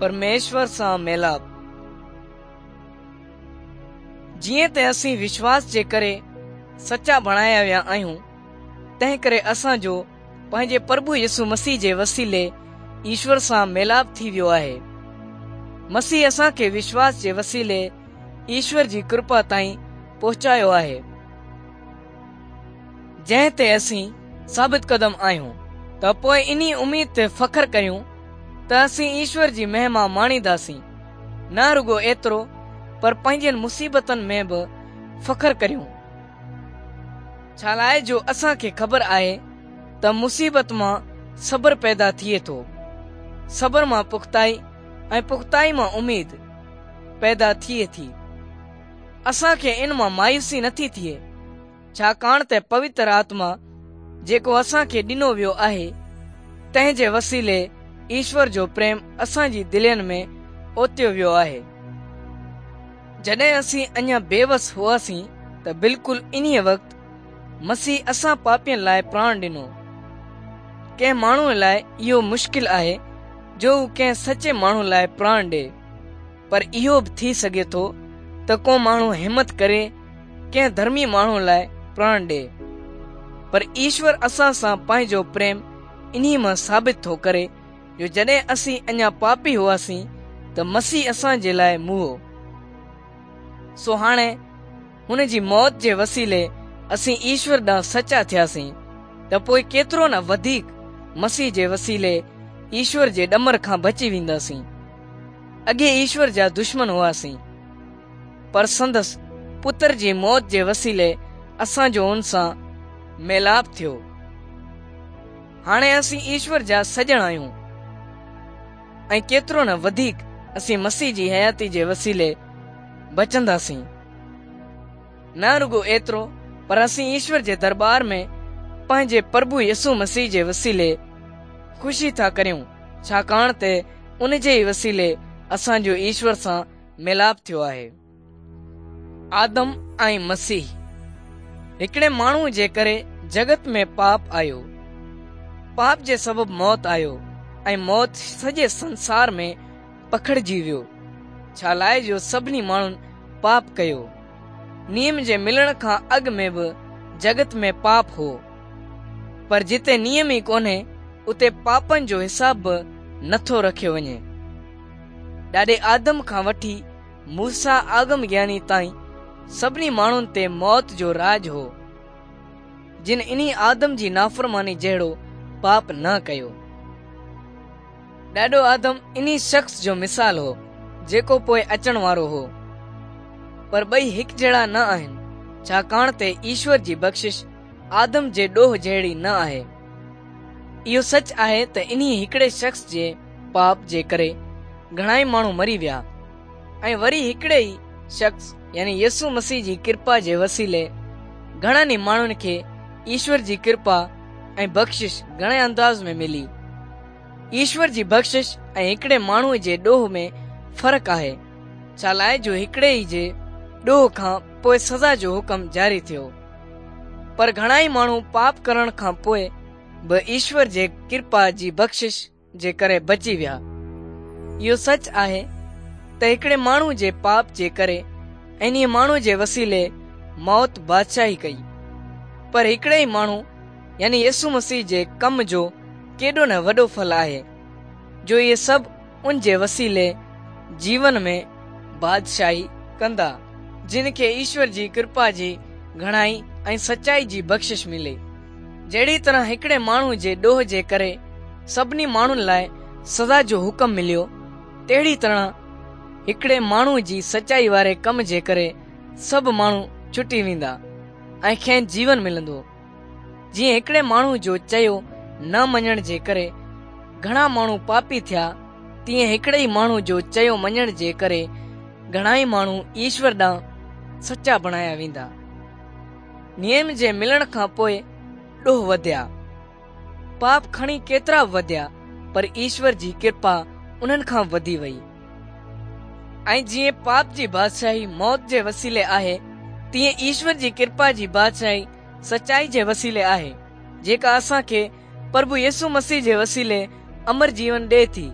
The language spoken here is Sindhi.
پرميشور سان ميلاپ. جيئن ته اسين وشواس جي ڪري سچا بڻايا ويا آهيون، تنهنڪري اسان جو پنهنجي پرڀو يسوع مسيح جي وسيلي ايشور سان ميلاپ ٿي ويو آهي. مسيح اسان کي وشواس جي وسيلي ايشور جي ڪرپا تائين پهچايو آهي. جنهن تي اسين ثابت قدم آهيون ته پوء انهي اميد تي فخر ڪريون ته اسين ايشور جي مهما ماڻينداسين. نه رڳو ايترو پر پنهنجين مصيبتن ۾ به فخر ڪريون. ڇالاء جو اسان کي خبر آهي ته مصيبت مان صبر پيدا ٿئي ٿو، صبر مان پختائي ۽ پختائي مان اميد پيدا ٿئي ٿي. اسان کي ان مان مايوسي نٿي ٿئي، ڇاڪاڻ ته پوتر آتما جيڪو اسان کي ڏنو ويو آهي، تنهن جي وسيلي ايشور جو پريم اسان جي دلين ۾ اوتيو ويو آهي. جڏهن اسين اڃا بيوس هئاسين ته بلڪل انهيء وقت مسيح اسان پاپين لاء پراڻ ڏنو. ڪنهن ماڻهوء لاء اهو مشڪل آهي جو هو ڪنهن سچي ماڻهوء لاء پراڻ ڏئي. پر اهو به ٿي سگهي ٿو ته ڪو ماڻهو همت ڪري ڪنهن ڌرمي ماڻهو لاء پراڻ ڏئي. پر ايشور اسان سان پنهنجو پريم انهي مان ثابت ٿو ڪري جو جڏهن اسين اڃا پاپي هئاسين ته مسيح اسان جي لاء موئو. سو هاڻي هن جي موت جي وسيلي اسين ايشور ڏانهن سچا ٿياسين ته پوء ڪيترو نه وڌيڪ مسيح جي وسيلي ايشور جي ڏمر کان بچي وينداسين. اڳي ايشور جا دشمن هئاسين، پر سندس پتر جي موت جي وسيلي اسان جو ان سان ميلاپ ٿيو. هاڻي اسين ايشور جا سڄڻ آهيون ۽ ڪيترو نه وڌيڪ اسين مسيح جي حياتي جي وسيلي بچنداسين. نه رڳو ايترو پر اسين ايشور جي درٻار ۾ پنهنجي پرڀو يسوع مسيح جي وسيلي خوشي ٿا ڪريون، ڇاڪاڻ ته ان جي ئي وسيلي اسان جو ايشور سان ميلاپ ٿيو آهي. آدم ۽ مسيح هڪڙي ماڻهوء جي ڪري جڳت ۾ پاپ آيو. پاپ جي سبب موت آيو ۽ موت سڄي سنسار ۾ پکڙجي ويو، ڇالاء جو سڀني ماڻهن پاپ ڪيو. نيم جي ملڻ کان اڳ ۾ به جڳت ۾ پاپ هو، پر جتي نيم ئي ڪونهي، اتي پاپن جو حساب به نٿو رکيو وڃي. ڏاڏي آدم کان وٺي موسيٰ آگم گياني تائين سڀني ماڻهن تي موت جو راڄ هو، جن انهي آدم جي نافرماني جهڙو پاپ نه ڪيو. ڏاڏو آدم انهي شخص جو مثال هو، جيڪو پوء اچڻ وارو هو. پر ٻئي هڪجهڙا نه آهن، ڇاڪاڻ ته ايشور جي بخشش آدم جي ڏوهه جهڙي نه آهي. اهو سچ آهي ته انهي هڪڙي شخص جي پاپ جي ڪري گهڻائي ماڻهو مري ويا ۽ وري هڪڙي ئي شخص يعني يسوع مسيح جي ڪرپا جي وسيلي گهڻن ئي ماڻهن کي ايشور جي ڪرپا ۽ بخشش گهڻي انداز ۾ ملي. ايشور جي بخشش ۽ هڪڙي ماڻهوء جي ڏوهه ۾ فرق آهي، ڇالاء جو هڪڙي ئي جي ڏوهه کان پوء سزا جو حڪم جاري ٿيو. پر گهڻائي ماڻهو پاپ ڪرڻ کان پوء به ايشور جي ڪرپا جي بخشش جي ڪري بچي ويا. اهو سچ آهي ته هڪڙي ماڻهو جي پاپ جي ڪري انهيء ماڻهوء جي وسيلي موت بادشاهي ڪئي. پر هڪڙي ئي ماڻهو يعني يسوع مسيح جي ڪم جو ڪيڏو نه وڏو ڦل آهي، جو اهي سڀ ان جي وسيلي جيون ۾ بادشاهي ڪندا، جن کي ايشور جي ڪرپا جي گهڻائي ۽ سچائي جي بخشش ملي. جهڙي طرح هڪڙي ماڻهو جي ڏوهه جي ڪري سڀني ماڻهن لاء سزا جو حڪم مليو، تهڙي طرح هڪڙي ماڻهو جي سچائي واري ڪم جي ڪري سڀ ماڻهو ڇٽي ويندا ۽ کين جيون ملندو. جيئن هڪڙي ماڻهو جو چيو نه مڃڻ جي ڪري گهڻا ماڻهو پاپي ٿيا، تيئن هڪڙي ئي ماڻهو جو چيو مڃڻ جي ڪري گهڻائي ماڻهو ايشور ڏانهن سچا بڻايا ويندا. نيم جي ملڻ کان پوء ڏوهه وڌيا. پاپ کڻي ڪيترا به وڌيا، پر ايشور جي ڪرپا انهن کان به وڌي وئي. ۽ جيئن پاپ جي بادشاهي موت جي وسيلي آهي، تيئن ايشور جي ڪرپا جي بادشاهي سچائي جي وسيلي آهي، جيڪا اسان کي پرڀو يسوع مسيح جي وسيلي امر جيون ڏئي ٿي.